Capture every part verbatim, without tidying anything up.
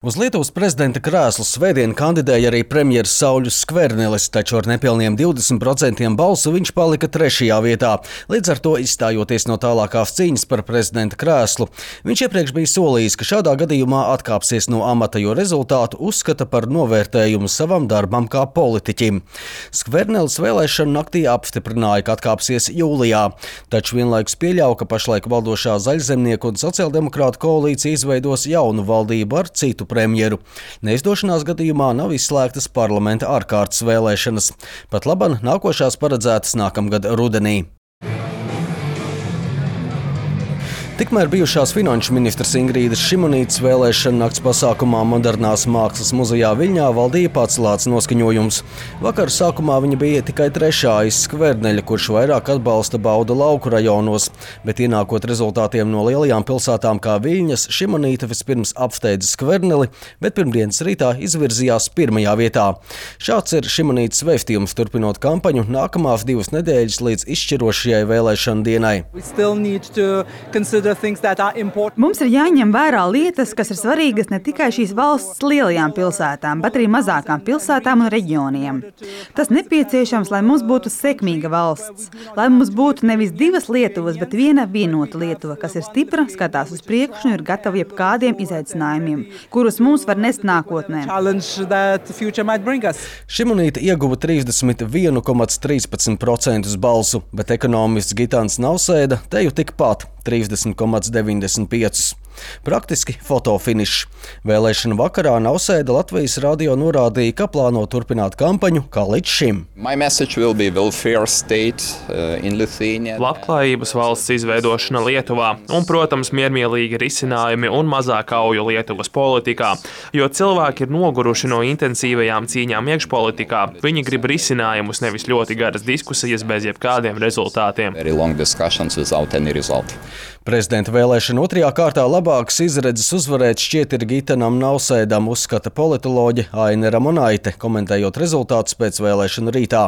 Uz Lietuvas prezidenta krēslu svētdien kandidēja arī premjers Sauļus Skvernelis, taču ar nepilniem divdesmit procentiem balsu viņš palika trešajā vietā, līdz ar to izstājoties no tālākās cīņas par prezidenta krēslu. Viņš iepriekš bija solījis, ka šādā gadījumā atkāpsies no amata, jo rezultātu uzskata par novērtējumu savam darbam kā politiķim. Skvernelis vēlēšanu naktī apstiprināja, ka atkāpsies jūlijā, taču vienlaikus pieļauj, ka pašlaik valdošā Zaļzemnieku un sociāldemokrātu koalīcija izveidos jaunu valdību ar citu premjeru. Neizdošanās gadījumā nav izslēgtas parlamenta ārkārtas vēlēšanas. Pat laban nākošās paredzētas nākamgad rudenī. Tikmēr bijušās finanšu ministres Ingrīdas Šimunītes vēlēšana nakts pasākumā Modernās mākslas muzejā Viļņā valdīja pacelāts noskaņojums. Vakar sākumā viņa bija tikai trešā aiz Skverneļa, kurš vairāk atbalsta bauda lauku rajonos, bet ienākot rezultātiem no lielajām pilsētām kā Viļņas, Šimunīte vispirms apsteidza Skverneli, bet pirmdienas rītā izvirzījās pirmajā vietā. Šāds ir Šimunītes vēstījums turpinot kampaņu nākamās divas nedēļas līdz izšķirošajai vēlēšanu dienai. Mums ir jāņem vērā lietas, kas ir svarīgas ne tikai šīs valsts lielajām pilsētām, bet arī mazākām pilsētām un reģioniem. Tas nepieciešams, lai mums būtu sekmīga valsts, lai mums būtu nevis divas Lietuvas, bet viena vienota Lietuva, kas ir stipra, skatās uz priekšu un ir gatava jebkādiem izaicinājumiem, kurus mums var nest nākotnē. Šimunīte ieguva trīsdesmit viens komats trīspadsmit procentus balsu, bet ekonomists Gitāns Nausēda teju tikpat trīsdesmit komats deviņdesmit pieci. Praktiski fotofinišs. Vēlēšanu vakarā Nausēda Latvijas radio norādīja, ka plāno turpināt kampaņu kā līdz šim. Labklājības valsts izveidošana Lietuvā un, protams, miermīlīgi risinājumi un mazāk auju Lietuvas politikā, jo cilvēki ir noguruši no intensīvajām cīņām iekšpolitikā. Viņi grib risinājumus, nevis ļoti garas diskusijas bez jebkādiem rezultātiem. Prezidenta vēlēšana otrajā kārtā labākas izredzes uzvarēt šķiet ir Gitanam Nausēdam, uzskata politoloģe Aine Ramonaite, komentējot rezultātus pēc vēlēšanu rītā.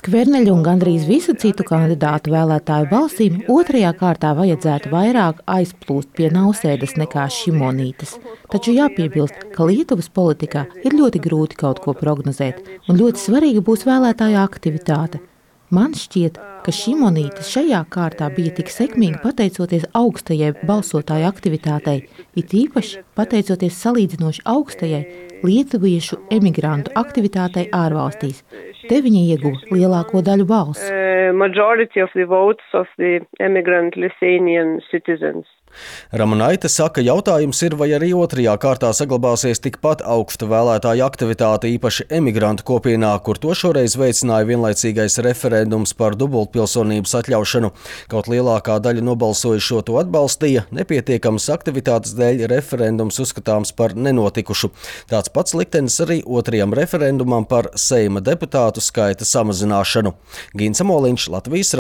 Skverneļa un gandrīz visu citu kandidātu vēlētāju balsīm otrajā kārtā vajadzētu vairāk aizplūst pie Nausēdas nekā Šimunītes. Taču jāpiebilst, ka Lietuvas politikā ir ļoti grūti kaut ko prognozēt, un ļoti svarīga būs vēlētāju aktivitāte. Man šķiet, ka Šimunīte šajā kārtā bija tik sekmīga pateicoties augstajai balsotāju aktivitātei, it īpaši pateicoties salīdzinoši augstajai lietuviešu emigrantu aktivitātei ārvalstīs. Te viņi ieguva lielāko daļu balsu. Ramonaite saka, jautājums ir, vai arī otrajā kārtā saglabāsies tikpat augsta vēlētāju aktivitāte, īpaši emigrantu kopienā, kur to šoreiz veicināja vienlaicīgais referendums par dubultpilsonības atļaušanu. Kaut lielākā daļa nobalsojušo to atbalstīja, nepietiekamas aktivitātes dēļ referendums uzskatāms par nenotikušu. Tāds pats liktenis arī otrajam referendumam par Seima deputātu skaita samazināšanu. Gins Amoliņš, Latvijas